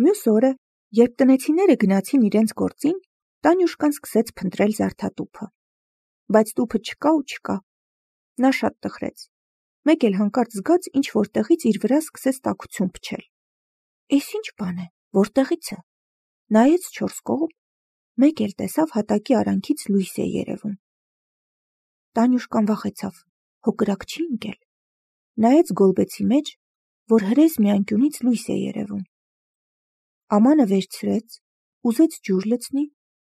Մյուս օրը, երբ տնեցիները գնացին իրենց գործին, Տանյուշկան սկսեց փնտրել զարդատուփը, բայց տուփը չկա ու չկա։ Նա շատ տխրեց։ Մեկ էլ հանկարծ զգաց ինչ-որ տեղից իր վրա սկսեց տաքություն փչել։ Էս ինչ բան է, որտեղից է։ Նայեց 4 կողմ, մեկ էլ տեսավ հատակի արանքից լույս է երևում։ Տանյուշկան վախեցավ, հո կրակ չի ընկել։ Նայեց գոլբեցի մեջ, որ հրես մի անկյունից լույս է երևում։ Ամանը վերցրեց, ուզեց ջուր լցնի,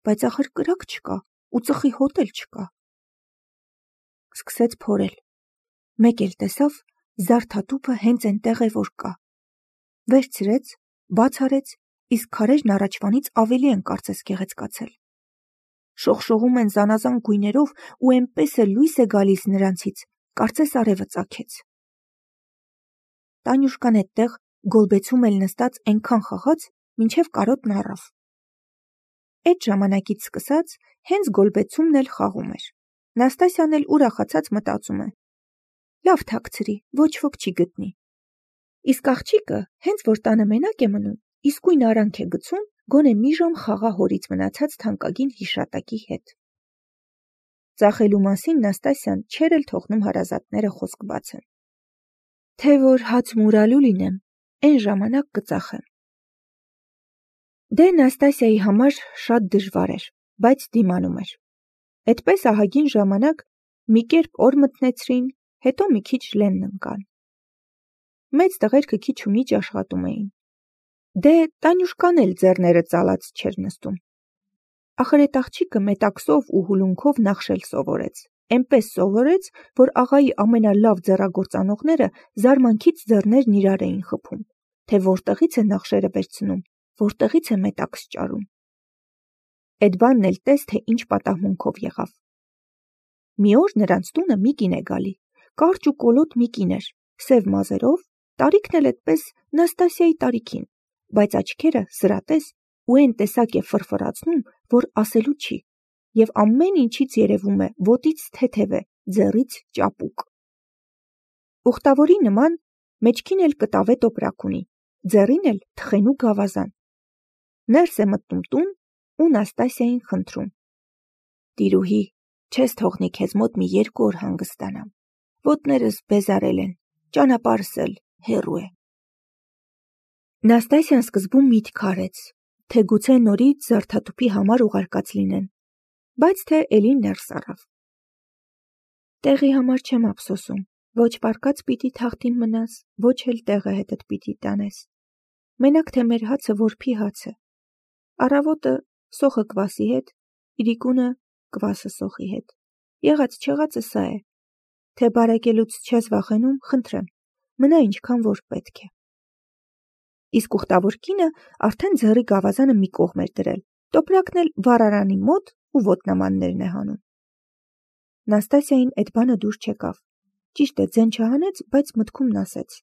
բայց ախր կրակ չկա ու ծխի հոտ էլ չկա։ Սկսեց փորել։ Մեկ էլ տեսավ զարդատուփը հենց այնտեղ է, որ կա։ Վերցրեց, բաց արեց, իսկ քարերն առաջվանից ավելի են կարծես գեղեցկացել։ Շողշողում են զանազան գույներով ու այնպես է լույս է գալիս նրանցից, կարծես արևը ծագեց։ Տանյուշկան այդտեղ գոլբեցում էլ նստած այնքան խաղաց, մինչև կարոտն առավ։ Այդ ժամանակից սկսած հենց գոլբեցումն էլ խաղում էր։ Նաստասյան էլ ուրախացած մտածում է. լավ թաքցրի, ոչ ոք չի գտնի։ Իսկ աղջիկը հենց որ տանը մենակ է մնում, իսկույն արանք է գցում, գոնե մի ժամ խաղա հորից մնացած թանկագին հիշատակի հետ։ Ծախելու մասին Նաստասյան չէր էլ թողնում հարազատները խոսք բացեն։ Թե որ հաց մուրալու լինեմ, այն ժամանակ կծախեմ։ Դե Նաստասիայի համար շատ դժվար էր, բայց դիմանում էր։ Այդպես ահագին ժամանակ մի կերպ օր մտնեցրին, հետո մի քիչ լենն ընկան։ Մեծ տղերքը քիչ ու միջ աշխատում էին։ Դե Տանյուշկան էլ ձեռները ծալած չէր նստում։ Ախր այդ աղջիկը մետաքսով ու հուլունքով նախշել սովորեց։ Էնպես սովորեց, որ աղայի ամենալավ ձեռագործանողները զարմանքից ձեռներն իրար էին խփում, թե որտեղից է նախշերը վերցնում, որտեղից է մետաքս ճարում։ Այդ բանն էլ տես, թե ինչ պատահմունքով եղավ։ Մի օր նրանց տունը մի կին է գալի, կարճ ու կոլոտ մի կին էր, սև մազերով, տարիքն էլ այդպես Նաստասիայի տարիքին, բայց աչքերը սրատես ու այն տեսակ է ֆրֆրացնում, որ ասելու չի, եւ ամեն ինչից երևում է ոտից թեթև է, ձեռից ճապուկ։ Ուխտավորի նման մեջքին էլ կտավե տոպրակ ունի, ձեռին էլ թխենու գավազան։ Ներս է մտնում տուն ու Նաստասիային խնդրում. Տիրուհի, չես թողնի քեզ մոտ մի 2 օր հանգստանամ։ Ոտներս բեզարել են, ճանապարհս էլ հեռու է։ Նաստասիան սկզբում միտք արեց, թե գուցե նորից զարդատուփի համար ուղարկած լինեն, բայց թե էլի ներս առավ։ Տեղի համար չեմ ափսոսում, ոչ պարկած պիտի թախտին մնաս, ոչ էլ տեղը հետդ պիտի տանես։ Մենակ թե մեր հացը որփի հաց է։ Առավոտը սոխը կվասի հետ, իրիկունը կվասը սոխի հետ։ Եղած չեղածը սա է։ Թե բարեկելուց չես վախենում, խնդրեմ, մնա ինչքան որ պետք է։ Իսկ ուխտավոր կինը արդեն ձեռի գավազանը մի կողմ էր դրել, տոպրակն էլ վառարանի մոտ ու ոտնամաններն է հանում։ Նաստասիային այդ բանը դուր չեկավ։ Ճիշտ է, ձեն չհանեց, բայց մտքումն ասեց.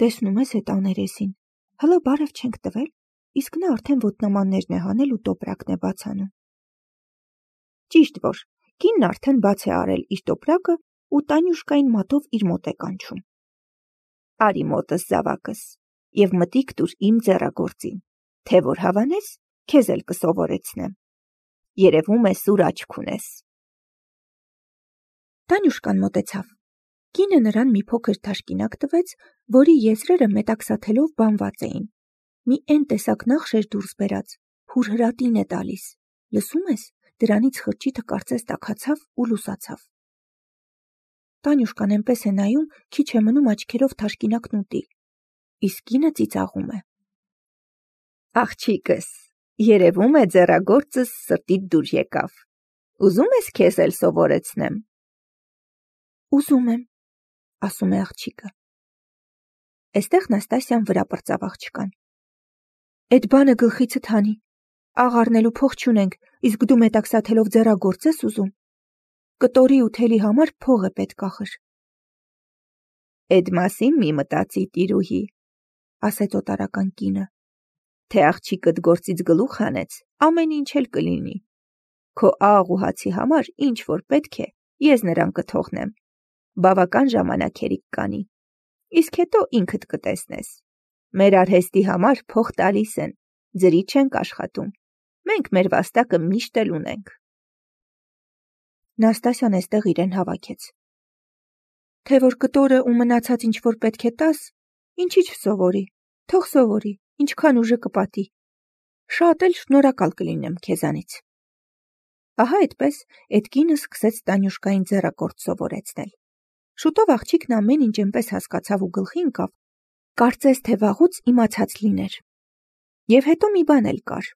Տեսնում ես այդ աներեսին, հլը բարև չենք տվել, իսկ նա արդեն ոտնամաններն է հանել ու տոպրակն է բաց անում։ Ճիշտ որ, կինն արդեն բաց է արել իր տոպրակը ու Տանյուշկային մատով իր մոտ է կանչում։ Արի մոտս զավակս, եւ մտիկ տուր իմ ձեռագործին, թե որ հավանես, քեզ էլ կսովորեցնեմ։ Երևում է սուր աչք ունես։ Տանյուշկան մոտեցավ։ Կինը նրան մի փոքր թաշկինակ տվեց, որի եզրերը մետաքսաթելով բանված էին։ Մի այն տեսակ նախշեր դուրս բերած, հուրհրատին է տալիս։ Լսում ես, դրանից խրճիթը կարծես տաքացավ ու լուսացավ։ Տանյուշկան այնպես է նայում, քիչ է մնում աչքերով թաշկինակն ուտի։ Իսկ կինը ծիծաղում է. Աղջիկս, երևում է ձեռագործս սրտիդ դուր եկավ։ Ուզում ես քեզ էլ սովորեցնեմ։ Ուզում եմ, ասում է աղջիկը։ Այստեղ Նաստասիան վրա պրծավ աղջկան։ Այդ բանը գլխիցդ հանի։ Աղ առնելու փող չունենք, իսկ դու մետաքսաթելով ձեռագործ ես ուզում։ Կտորի ու թելի համար փող է պետք ախր։ Այդ մասին մի մտածի, տիրուհի, ասեց օտարական կինը, թե աղջիկդ գործից գլուխ հանեց, ամեն ինչ էլ կլինի։ Քո աղ ու հացի համար ինչ որ պետք է, ես նրան կթողնեմ։ Բավական ժամանակ հերիք կանի, իսկ հետո ինքդ կտեսնես։ Մեր արհեստի համար փող տալիս են, ձրի չենք աշխատում, մենք մեր վաստակը միշտ էլ ունենք։ Նաստասյան էստեղ իրեն հավաքեց։ Թե որ կտորը ու մնացած ինչ-որ պետք է տաս, ինչի չսովորի, թող սովորի, ինչքան ուժը կպատի, շատ էլ շնորհակալ կլինեմ քեզանից։ Ահա այդպես էդ կինը սկսեց Տանյուշկային ձեռակորդ սովորեցնել։ Շուտով աղջիկն ամեն ինչ այնպես հասկացավ ու գլխի ընկավ, կարծես թե վաղուց իմացած լիներ։ Եվ հետո մի բան էլ կար։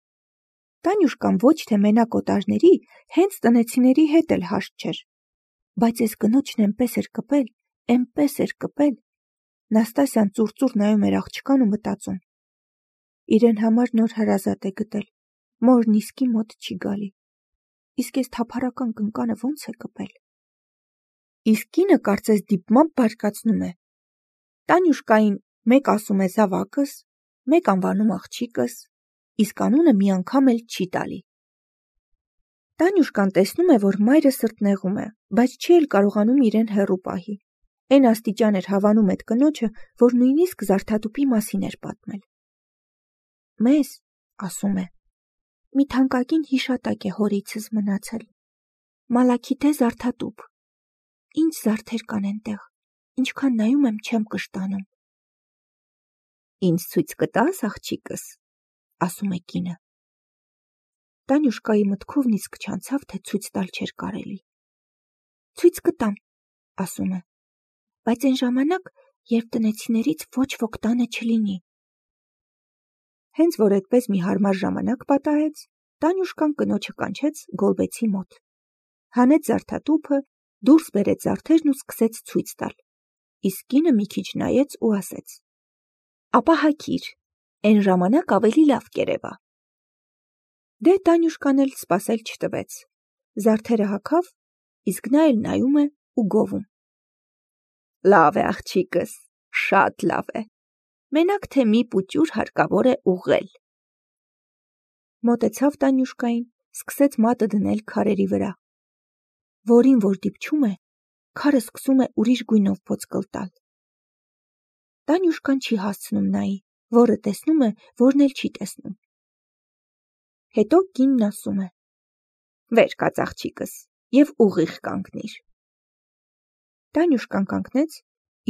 Տանյուշկան ոչ թե մենակ օտարների, հենց տնեցիների հետ էլ հաշտ չէր, բայց այս կնոջն էնպես էր կպել։ Նաստասյան ծուռ նայում էր աղջկան ու մտածում. իրեն համար նոր հրազատ է գտել, մորն իսկի մոտ չի գալի, իսկ այս թափառական կնկանը ոնց է կպել։ Իսկ կինը կարծես դիպմամբ բարկացնում է։ Տանյուշկային մեկ ասում է զավակս, մեկ անվանում աղջիկս, իսկ անունը մի անգամ էլ չի տալի։ Տանյուշկան տեսնում է, որ մայրը սրտնեղում է, բայց չի էլ կարողանում իրեն հեռու պահի։ Էն աստիճան էր հավանում այդ կնոջը, որ նույնիսկ զարդատուպի մասին էր պատմել։ Մեզ, ասում է, մի թանկագին հիշատակ է հորիցս մնացել։ Մալաքիթե զարդատուփ։ Ինչ զարդեր կան այնտեղ, ինչքան նայում եմ չեմ կշտանում։ Ինձ ցույց կտաս, աղջիկս, ասում է կինը։ Տանյուշկայի մտքով նիսկ չանցավ, թե ցույց տալ չէր կարելի։ Ցույց կտամ, ասում է, բայց այն ժամանակ, երբ տնեցիներից ոչ ոք տանը չլինի։ Հենց որ այդպես մի հարմար ժամանակ պատահեց, Տանյուշկան կնոջը կանչեց Գոլբեցի մոտ։ Հանեց զարդատուփը, դուրս բերեց զարդերն ու սկսեց ցույց տալ։ Իսկ կինը մի քիչ նայեց ու ասեց. ապա հագիր, այն ժամանակ ավելի լավ կերևա։ Դե Տանյուշկան էլ սպասել չտվեց։ Զարդերը հագավ, իսկ նա էլ նայում է ու գովում։ Լավ է, աղջիկս, շատ լավ է։ Մենակ թե մի պուճուր հարկավոր է ուղղել։ Մոտեցավ Տանյուշկային, սկսեց մատը դնել քարերի վրա։ Որին որ դիպչում է, քարը սկսում է ուրիշ գույնով ոսկլ տալ։ Տանյուշկան չի հասցնում նայի, որը տեսնում է, որն էլ չի տեսնում։ Հետո կինն ասում է. վեր կաց աղջիկս և ուղիղ կանգնիր։ Տանյուշկան կանգնեց,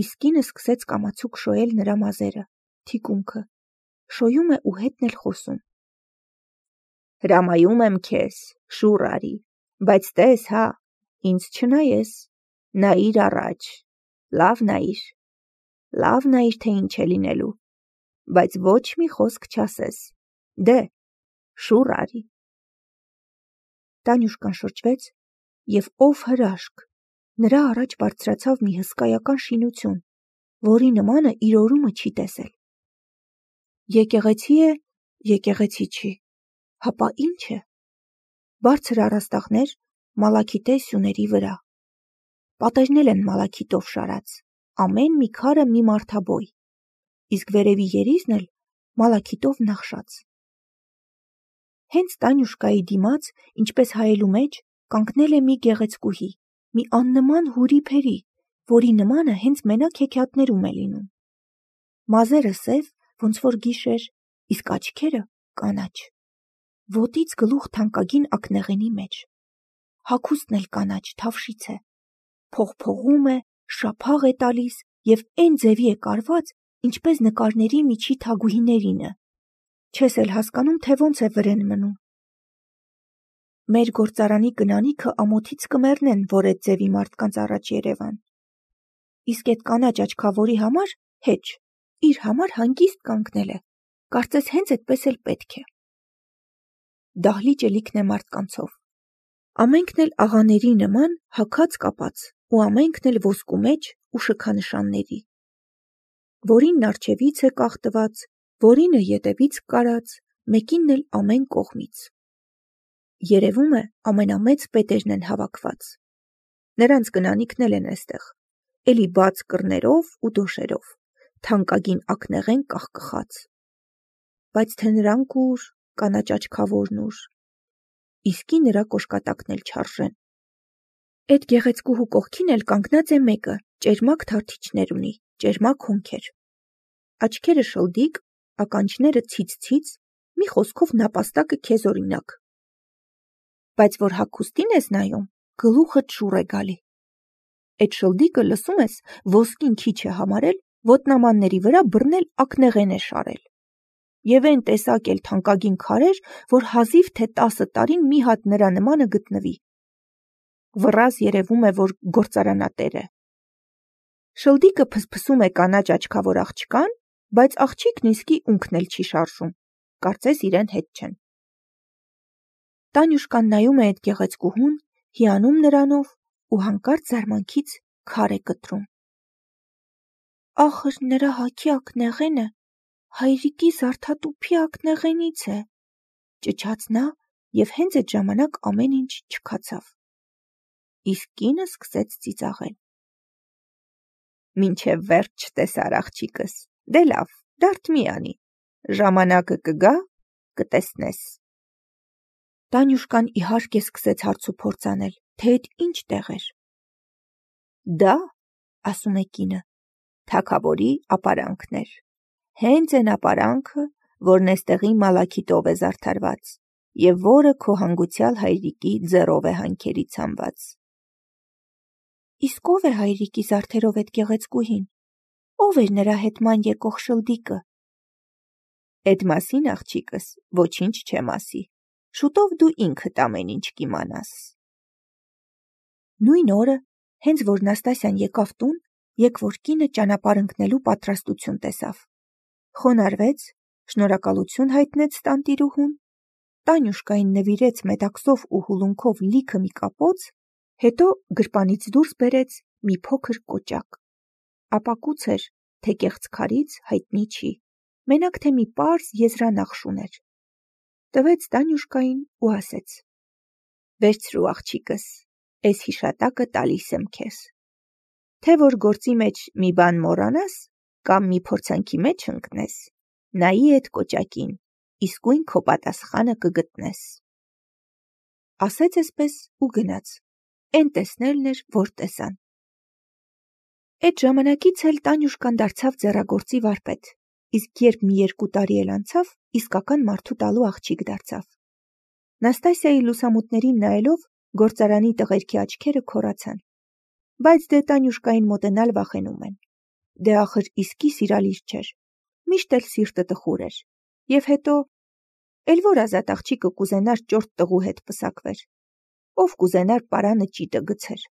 իսկ կինը սկսեց կամացուկ շոյել նրա մազերը, թիկունքը, շոյում է ու հետն էլ խոսում։ Հրամայում եմ քեզ, շուռ արի, բայց տես հա, ինձ չնայես, նայիր առաջ, լավ նայիր, թե ինչ է լինելու, բայց ոչ մի խոսք չասես, դե, շուռ արի։ Տանյուշկան շրջվեց և ով հրաշք, նրա առաջ բարձրացավ մի հսկայական շինություն, որի նմանը իր օրումը չի տեսել։ Եկեղեցի է, եկեղեցի չի, հապա ինչ է։ Բարձր առաստաղներ մալաքիթե սյուների վրա։ Պատերն են մալաքիտով շարած, ամեն մի քարը մի մարդաբոյ, իսկ վերևի երիզն էլ մալաքիտով նախշած։ Հենց Տանյուշկայի դիմաց, ինչպես հայելու մեջ, կանգնել է մի գեղեցկուհի, մի աննման հուրի փերի, որի նմանը հենց մենակ հեքիաթներում է լինում։ Մազերը սև, ոնց որ գիշեր, իսկ աչքերը կանաչ։ Ոտից գլուխ թանկագին ակնեղենի մեջ։ Հագուստն էլ կանաչ, թավշից է։ Փողփողում է, շափաղ է տալիս և էն ձևի է կարված, ինչպես նկարների միջի թագուհիներինը։ Չես էլ հասկանում, թե ոնց է վրեն մնում։ Մեր գործարանի կնանիքը ամոթից կմեռնեն, որ այդ ձևի մարդկանց առաջ երևան։ Իսկ այդ կանաչ աչքավորի համար հեչ, իր համար հանգիստ կանգնել է, կարծես հենց այդպես էլ պետք է։ Դահլիճը լիքն է մարդկանցով։ Ամենքն էլ աղաների նման հագած կապած ու ամենքն էլ ոսկու մեջ ու շքանշանների։ Որինն առջևից է կախտված, որինը ետևից կարած, մեկինն էլ ամեն կողմից։ Երևում է ամենամեծ պետերն են հավաքված։ Նրանց կնանիքն էլ են այստեղ, էլի բաց կռներով ու դոշերով, թանկագին ակնեղեն կախկխած։ Բայց թե նրանք ուր, կանաչ աչքավորն ուր, իսկի նրա կոշկատակն էլ չարժեն։ Այդ գեղեցկուհու կողքին էլ կանգնած է մեկը, ճերմակ թարթիչներ ունի, ճերմակ հոնքեր։ Աչքերը շլդիկ, ականջները ցից-ցից, մի խոսքով նապաստակը քեզ օրինակ։ Բայց որ հագուստին ես նայում, գլուխդ շուռ է գալի։ Էդ շլդիկը լսում ես, ոսկին քիչ է համարել, ոտնամանների վրա բռնել ակնեղեն է շարել։ Եվ այն տեսակ էլ թանկագին քարեր, որ հազիվ թե 10 տարին մի հատ նրա նմանը գտնվի։ Վռаз երևում է, որ գործարանատեր է։ Շլդիկը փսփսում է կանաչ աչքավոր աղջկան, բայց աղջիկն իսկի ունքն էլ չի շարժում, կարծես իրեն հետ չեն։ Տանյուշկան նայում է այդ գեղեցկուհուն, հիանում նրանով ու հանկարծ զարմանքից քար է կտրում։ Ախր նրա հագի ակնեղենը հայրիկի զարդատուփի ակնեղենից է, ճչաց նա և հենց այդ ժամանակ ամեն ինչ չքացավ։ Իսկ կինը սկսեց ծիծաղել։ Մինչև վերջ չտեսար աղջիկս, դե լավ, դարդ մի անի, ժամանակը կգա, կտեսնես։ Տանյուշկան իհարկե սկսեց հարց ու փորձ անել, թե էդ ինչ տեղ էր։ Դա, ասում է կինը, թագավորի ապարանքն էր։ Հենց այն ապարանքը, որն էստեղի մալաքիտով է զարդարված, և որը քո հանգուցյալ հայրիկի ձեռով է հանքերից հանված։ Իսկ ով է հայրիկի զարդերով էդ գեղեցկուհին, ով էր նրա հետման եկող շլդիկը։ Էդ մասին, աղջիկս, ոչինչ չեմ ասի, շուտով դու ինքդ ամեն ինչ կիմանաս։ Նույն օրը, հենց որ Նաստասյան եկավ տուն, եկվոր կինը ճանապարհ ընկնելու պատրաստություն տեսավ։ Խոնարհվեց, շնորհակալություն հայտնեց տանտիրուհուն, Տանյուշկային նվիրեց մետաքսով ու հուլունքով լիքը մի կապոց, հետո գրպանից դուրս բերեց մի փոքր կոճակ։ Ապակուց էր, թե կեղծ քարից հայտնի չի, մենակ թե մի պարզ եզրանախշ ուներ։ Տվեց Տանյուշկային ու ասեց. Վերցրու աղջիկս, էս հիշատակը տալիս եմ քեզ։ Թե որ գործի մեջ մի բան մոռանաս, կամ մի փորձանքի մեջ ընկնես, նայի էդ կոճակին, իսկույն քո պատասխանը կգտնես։ Ասեց էսպես ու գնաց, էն տեսնելն էր, որ տեսան։ Էդ ժամանակից էլ Տանյուշկան դարձավ ձեռագործի վարպետ, իսկ երբ մի 2 տարի էլ անցավ, իսկական մարդու տալու աղջիկ դարձավ։ Նաստասիայի լուսամուտներին նայելով, գործարանի տղերքի աչքերը քորացան։ Բայց դե Տանյուշկային մոտենալ վախենում են։ Դե ախր իսկի սիրալիր չէր, միշտ էլ սիրտը տխուր էր։ Եվ հետո, էլ որ ազատ աղջիկը կուզենար ճորտ տղու հետ պսակվեր, ով կուզենար պարանը ճիտը գցեր։